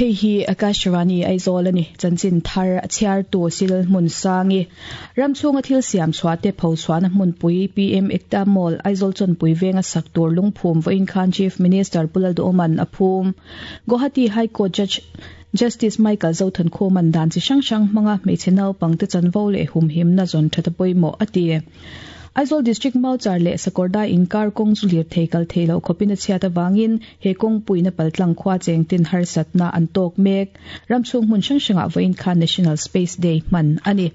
Hei hi Akashvani Aizawl a ni. Chanchin thar a chhiartu Sil Hmunsangi. Ram chhunga thil siam chhuah te pho chhuahna hmunpui PM Ekta Mall, Aizawl Chawnpui venga sak tur lungphum vawiin khan Chief Minister Pu Lalduhoman a phum. Guwahati High Court Judge Justice Michael Zothankhuma'n dan chi hrang hrang hmanga hmeichhe naupangte chanvo leh humhimna zawn that a pawimawh a ti. Aizawl District Mauchar leh Sakawrdai inkar kawng chu lirthei kal theih loh khawpin a chhiat avangin he kawngpuiin a paltlang khua chengtin harsatna an tawk mek. Ram chhung hmun hrang hrangah vawiin khan National Space Day hman a ni.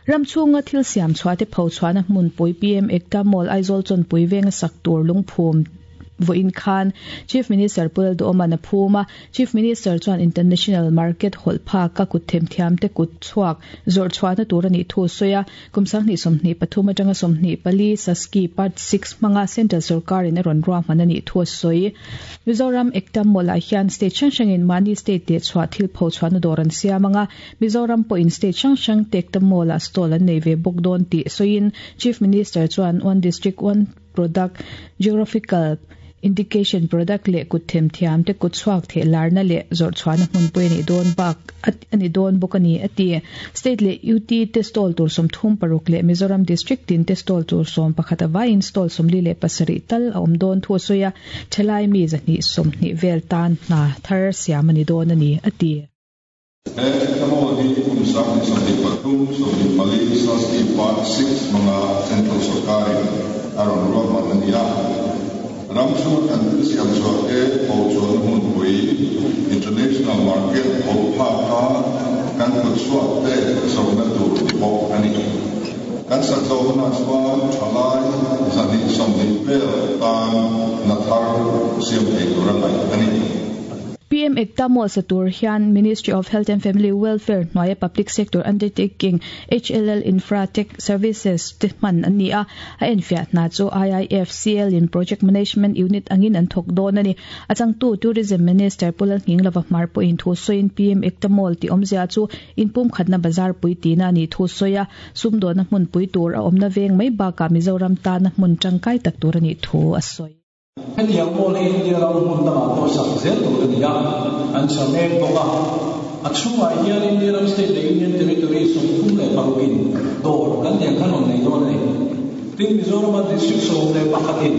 Ram chhunga thil siam chhuahte pho chhuahna hmunpui PM Ekta Mall Aizawl Chawnpui venga sak tur lungphum Vawiin khan Chief Minister Pu Lalduhoman a phum a, Chief Minister chuan International Market hawlh phak a kut themthiamte kut chhuak zawrh chhuahna tur a nih thu a sawi a, kum 2023 atanga 24 SASCI Part Six hmanga Central sawrkarin a rawn ruahman a nih thu a sawi. Mizoram Ekta Mall-ah hian state hrang hrangin mahni state teh chhuah thil pho chhuahna dawr an siam ang a, Mizoram pawhin state hrang hrang te Ekta Mall-ah stall an nei ve bawk dawn tih sawiin Chief Minister chuan One District One Product, Geographical Indication Product leh kut themthiam te kut chhuak theh larna leh zawrh chhuahna hmunpui a nih dawn bak a ni dawn bawk a ni, a ti. State leh UT te stall tur 36 leh Mizoram District tin te stall tur 11 a vaiin stall 47 tal a awm dawn thu a sawi a, thalai mi 220 vel tan hna thar siam a ni dawn a ni, a ti. He Ekta-Mall hi kum 2023, 24 SASCI Part Six hmanga Central sawrkarin a rawn ruahman a ni a. Ram chhunga kan thil siam chhuah te pho chuanna hmunpui, International Market pho phaka kan kut chhuak te zawhna tur ni bawk a ni. Kan sak zawh hunah chuan thalai 220 vel tan hna thar siam thei tura ngaih a ni. PM Ekta Mall sa tur hian Ministry of Health and Family Welfare hnuaia Public Sector Undertaking HLL Infra Tech Services te hman an ni a, a enfiah hna chu IIFCL in Project Management Unit angin an thawk dawn a ni. A changtu Tourism Minister Pu Lalnghinglova Hmar pawhin thu sawiin PM Ekta Mall tih awmzia chu inpumkhatna bazar pui tihna a nih thu sawi a, sumdawnna hmunpui tur a awmna veng mai bakah Mizoram tana hmun tangkai tak tur a nih thu a sawi. Hetiang mall hi India ram hmun dangah pawh sak zel tur a ni a, an sa mek bawk a. A chhungah hian India ram state leh Union Territory 36 in dawr kan tih ang khan rawn nei dawn a ni. Tin, Mizorama District 11 in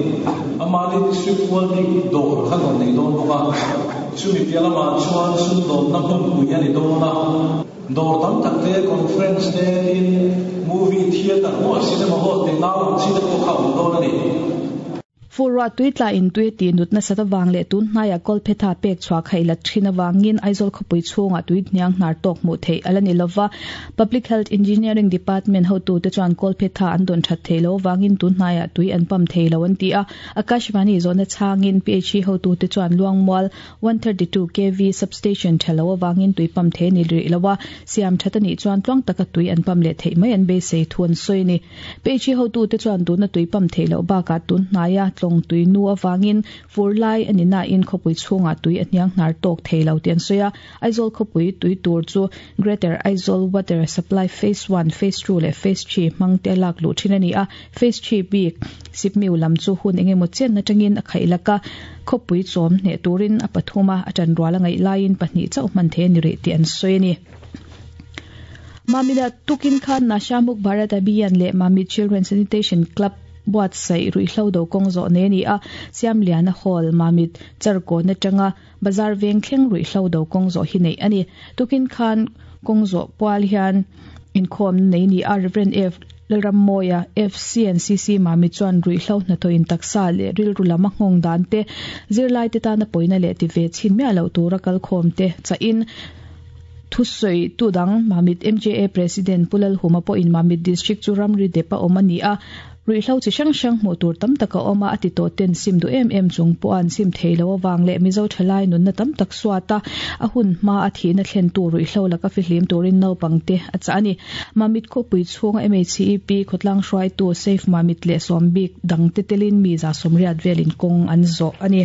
amahni District pual bik dawr khan rawn nei dawn bawk a. Chumi piah lamah chuan sumdawnna hmunpui a ni dawn a. Dawr tam tak te, conference te, tin, movie theatre maw, cinema hall tih nau ang chi te pawh kha a awm dawn a ni. Furruah tui tla in tui a tih nut nasat avang leh tun hnaiah kawlphetha pek chhuah khaih la thin avangin Aizawl khawpui chhungah tui hniang hnar tawk hmuh theih a la ni lova. Public Health Engineering Department hotute chuan kawlphetha an dawn that theih loh avangin tun hnaiah tui an pump thei lo an ti a. Akashvani zawhna chhangin PHE hotute chuan Luangmual 132 KV substation tha lo avangin tui pump thei a ni rih lo a, siam that a nih chuan tluang taka tui an pump leh theih mai an beisei thu an sawi a ni. Peihri hotute chuan tuna tui pump theih loh bakah tun hnaia tlawng tui nu avangin fur lai a ni nain khawpui chhungah tui a hniang hnar tawk thei lo tih an sawi a. Aizawl khawpui tui tur chu Greater Aizawl Water Supply Phase One, Phase Two leh Phase Three hmang te lak luh thin a ni a. Phase Three bik Sipmiu lam chu hun eng emaw chen atangin a khaih lak a, khawpui chawm hneh turin a pathum a, a tanrual a ngaih laiin pahnih chauh hman thei a ni rih tih an sawi a ni. Mamita tukin khan Nasha Muk Bharat Abhiyan leh Mamit Children Sanitation Club buatsaih ruihhlo do kawng zawh nei a ni a, Siamliana Hall, Mamit Charkawn atanga Bazar veng thleng ruihhlo do kawng zawh hi neih a ni. Tukin khan kawng zawh pual hian inkhawmna nei ni a, Rev. F. Lalrammawia, FCNCC Mamit chuan ruihhlo hnathawhin taksa leh rilru lam a nghawng dan te, zirlaite tana pawina leh ti ve chhin miah loh tura kalkhawmte chahin, Thusawi tu dang Mamit MJA President Pu Lalhuma pawhin Mamit District chu ramri dep a awm a ni a, ruihhlo chi hrang hrang hmuh tur tam tak a awm a, a ti tawh ten sim duh em em chung pawh an sim thei lo avang leh Mizo thalai nunna tam tak suat a, a hun hma a thihna thlentu ruihhlo laka fihlim turin naupangte a chah a ni. Mamit khawpui chhunga MHCEP khawtlang hruaitu Safe Mamit leh sawmbik dangte telin mi 180 velin kawng an zawh a ni.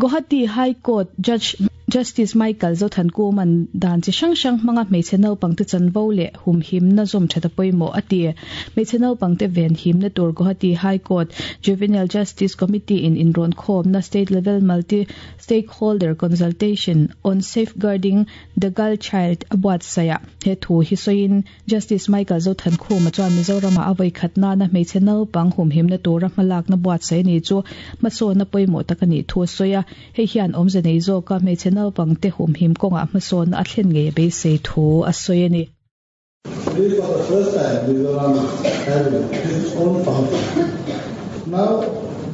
Guwahati High Court Judge. Justice Michael Zothankuma'n dan chi hrang hrang hmanga hmeichhe naupangte chanvo leh humhimna zawm that a pawimawh a ti. Hmeichhe naupangte venhimna tur Guwahati High Court Juvenile Justice Committee in inrawnkhawmna State Level Multi Stakeholder Consultation on Safeguarding the Girl Child a buatsaih ah he thu hi sawiin Justice Michael Zothankhuma chuan Mizoramah a vawikhat nana hmeichhe naupang humhimna tura hmalakna buatsaih a ni chu hmasawnna pawimawh tak a nih thu a sawi a. Hei hian awmze nei zawka hmeichhe naupangte humhim kawngah hmasawnna a thlen ngei a beisei thu a sawi a ni. Today for the first time Mizoram is having its own function. Now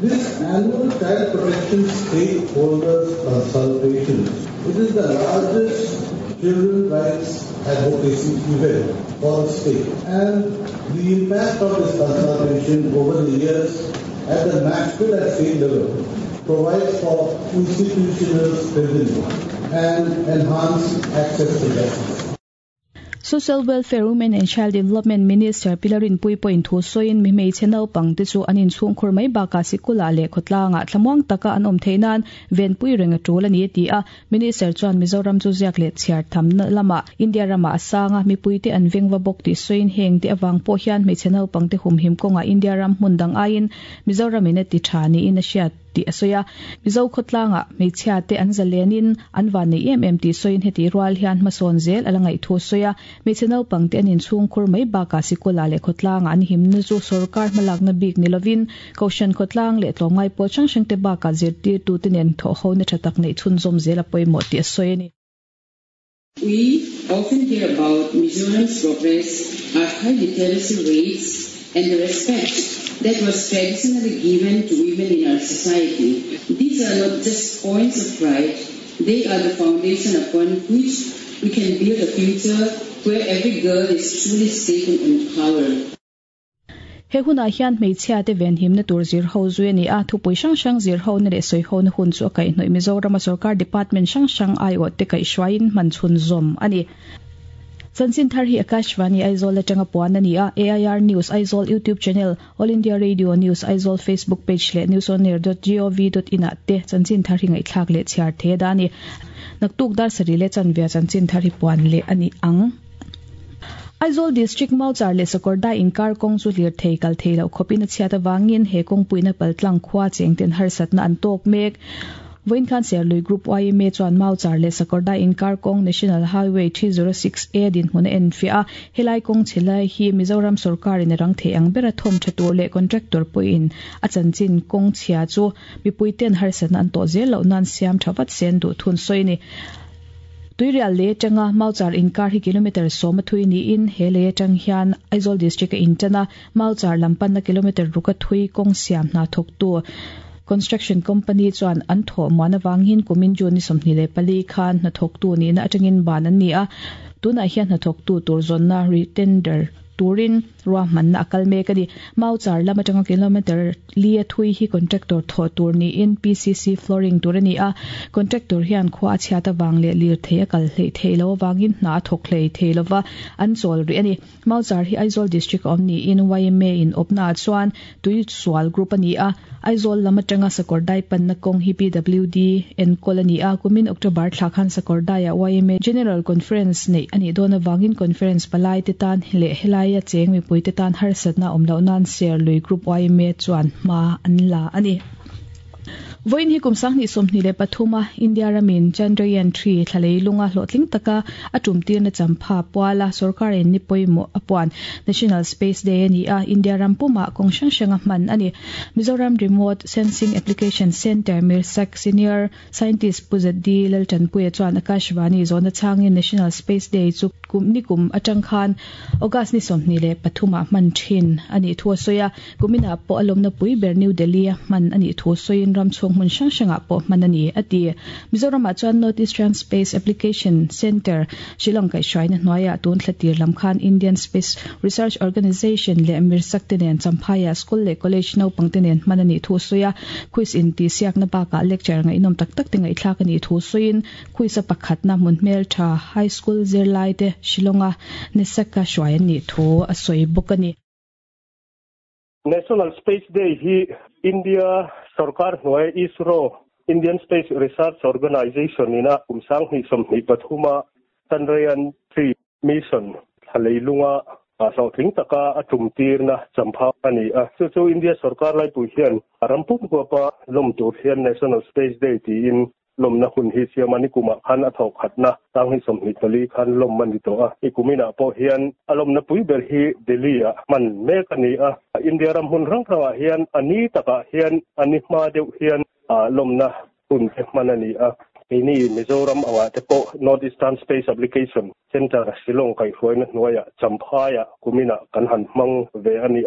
this annual Child Protection Stakeholders Consultation, it is the largest children rights advocacy event for the state and the impact of this consultation over the years at the national and state level provides for institutional strengthening and enhanced access to justice. Social Welfare, Women and Child Development Minister Pi Larinpuii pawhin thu sawiin mi hmeichhe naupangte chu an inchhungkhur mai bakah sikulah leh khawtlangah thlamuang taka an awm theih nan venpui reng a tul a ni a ti a. Minister chuan Mizoram chu ziak leh chhiar thamna lamah India ramah a sang a, mipuite an vengva bawk tih sawiin heng te avang pawh hian hmeichhe naupangte humhim kawngah India ram hmun dang aiin Mizoramin a ti tha niin a hriat tih a sawi a. Mizo khawtlangah hmeichhia te an zalenin an van nei em em tih sawiin heti rual hian hmasawn zel a la ngaih thu a sawi a. Hmeichhe naupangte an inchhungkhur mai bakah sikulah leh khawtlangah an himna chu sorkar hmalakna bik ni lovin Kohhran khawtlang leh tlawmngai pawl hrang hrangte bakah zirtirtute nen thawhhona tha tak neih chhunzawm zel a pawimawh tih a sawi a ni. We often hear about Mizoram's progress, our high literacy rates and the respect that was traditionally given to women in our society. These are not just points of pride, they are the foundation upon which we can build a future where every girl is truly safe and empowered. He hunah hian hmeichhiate venhimna tur zirho zui a ni a, thupui hrang hrang zirhona leh sawihona hun chu a kaihhnawih Mizorama sorkar department hrang hrang aiawhte kaihhruaiin hman chhunzawm a ni. Chanchin thar hi Akashvani Aizawl atanga puan a ni a, AIR News Aizawl YouTube channel, All India Radio News Aizawl Facebook page leh newsonair dot gov dot in ah te chanchin thar hi ngaihthlak leh chhiar thei a dah a ni. Naktuk dar sarih leh chanvia chanchin thar hi puan leh a ni ang. Aizawl District Mauchar leh Sakawrdai inkar kawng chu hlir thei kal thei loh khawpin a chhiat avangin he kawngpuina paltlang khua chengten harsatna an tawk mek. Vawiin khan Serlui Group yma chuan Mauchar leh Sakawrdai inkar kawng National Highway 306A dinhmun a enfiah a, helai kawng chhe lai hi Mizoram sawrkarin a rang thei ang bera thawm tha tur leh contractor pawhin a chanchin kawng chhia chu mipuiten harsatna an tawh zel loh nan siam tha vat se an duh thun sawi a ni. Tuirial lei atanga Mauchar inkar hi kilometre sawm a thui niin he lei atang hian Aizawl District a intan a, Mauchar lam panna kilometre ruk a thui kawng siam hna thawktu Construction Company chuan an thawh muan avangin kumin June ni 24 khan hnathawktu nihna atangin ban an ni a, tunah hian hnathawktu tur zawnna re-tender turin ruahmanna a kal mek a ni. Mauchar lam atanga kilometre li a thui hi contractor thawh tur niin PCC flooring tur a ni a, contractor hian khua a chhiat avang leh lirthei a kal hleih theih loh avangin hna a thawk hlei thei lova an chawl rih a ni. Mauchar hi Aizawl District a awm niin yma in awpnaah chuan tui sual group a ni a, Aizawl lam atanga Sakawrdai panna kawng hi PWD enkawl a ni a, kumin October thla khan Sakawrdaiah yma General Conference neih a nih dawn avangin Conference palaite tan leh helaia cheng mipuite tan harsatna a awm loh nan Serlui Group yma chuan hma an la a ni. Vawiin hi kum 2023 a India ramin Chandrayaan 3 thla leilunga hlawhtling taka a tumtirna champha puala sorkar in ni pawimawh a puan National Space Day a ni a, India ram pumah kawng hrang hranga hman a ni. Mizoram Remote Sensing Application Centre Mirsak Senior Scientist Pu ZD Laltanpuia chuan Akashvani zawhna chhangin National Space Day chu kum ni kum atang khan August ni 23 ah hman thin a nih thu a sawi a. Kuminah pawh a lawmna pui ber New Delhi a hman a nih thu sawiin ram chhung hmun hrang hrangah pawh hman a ni, a ti. Mizoramah chuan North Eastern Space Application Centre, Shillong kaihhruaina hnuaiah tun thla tir lam khan Indian Space Research Organisation leh Mirsak te nen Champhaiah school leh college naupang te nen hman a nih thu sawi a, quiz intihsiakna bakah lecture ngaihnawm tak tak te ngaihthlak a nih thu sawiin quiz a pakhatna hmun hmeltha high school zirlai te Shillong-a NESAC-a hruai an nih thu a sawi bawk a ni. National Space Day hi India sorkar hnuai ISRO, Indian Space Research Organisation ina kum 2023 a Chandrayaan 3 mission thla leilunga hlawhtling taka a tum tirna champha a ni a. Chu chu India sorkar laipui hian ram pum huapa lawm tur hian National Space Day tiin lawmna hun hi siam a ni. Kumah khan a thawh khatna 2024 khan lawm a ni tawh a. I kuminah pawh hian a lawmna pui ber hi Delhi-ah hman mek a ni a. India ram hmun hrang hrangah hian a ni takah hian a ni hma deuh hian lawmna hun te hman a ni a. Keini Mizoram angah te pawh North Eastern Space Application Centre Shillong kaihhruaina hnuaiah Champhaiah kuminah kan han hmang ve a ni.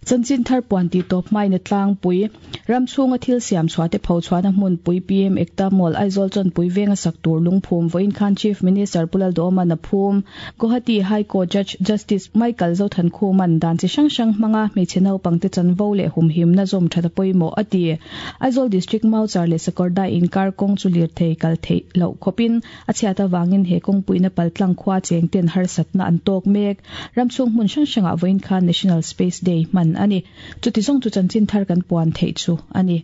Chanchin thar puan tih tawp hmain a tlangpui. Ram chhunga thil siam chhuah te pho chhuahna hmunpui PM Ekta Mall Aizawl Chawnpui venga sak tur lungphum vawiin khan Chief Minister Pu Lalduhawman a phum. Guwahati High Court Judge Justice Michael Zothankhuman dan chi hrang hrang hmanga hmeichhe naupangte chanvo leh humhimna zawm that a pawimawh a ti. Aizawl District Mauchar leh Sakawrdai inkar kawng chu lirthei kal theih loh khawpin A chhiat avangin he kawngpuina paltlang khua cheng ten harsatna an tawk mek. Ramchhung hmun hrang hrangah vawiin khan National Space Day hman a ni. Chuti zawng chu chanchin thar kan puan theih chu a ni.